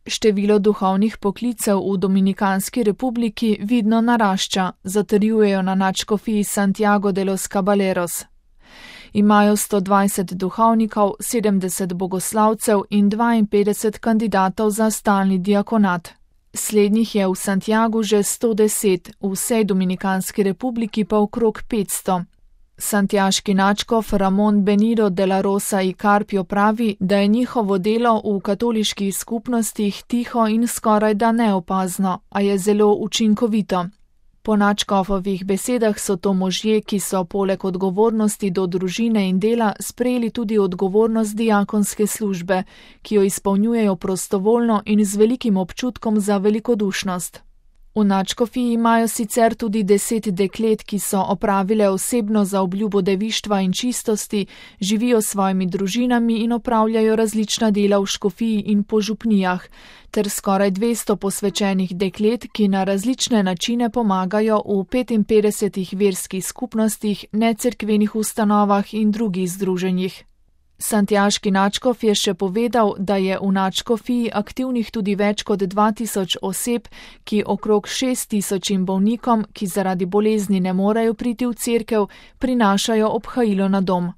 Število duhovnih poklicev v Dominikanski republiki vidno narašča, zatrjujejo na nadškofiji Santiago de los Caballeros. Imajo 120 duhovnikov, 70 bogoslavcev in 52 kandidatov za stalni diakonat. Slednjih je v Santiagu že 110, v vsej Dominikanski republiki pa okrog 500. Santiaški nadškof Ramon Benito de la Rosa y Carpio pravi, da je njihovo delo v katoliških skupnostih tiho in skorajda neopazno, a je zelo učinkovito. Po nadškofovih besedah so to možje, ki so poleg odgovornosti do družine in dela sprejeli tudi odgovornost diakonske službe, ki jo izpolnjujejo prostovoljno in z velikim občutkom za velikodušnost. V nadškofiji imajo sicer tudi 10 deklet, ki so opravile osebno zaobljubo devištva in čistosti, živijo s svojimi družinami in opravljajo različna dela v škofiji in po župnijah, ter skoraj 200 posvečenih deklet, ki na različne načine pomagajo v 55 verskih skupnostih, necerkvenih ustanovah in drugih združenjih. Santiaški nadškof je še povedal, da je v nadškofiji aktivnih tudi več kot 2000 oseb, ki okrog 6000 bolnikom, ki zaradi bolezni ne morejo priti v cerkev, prinašajo obhajilo na dom.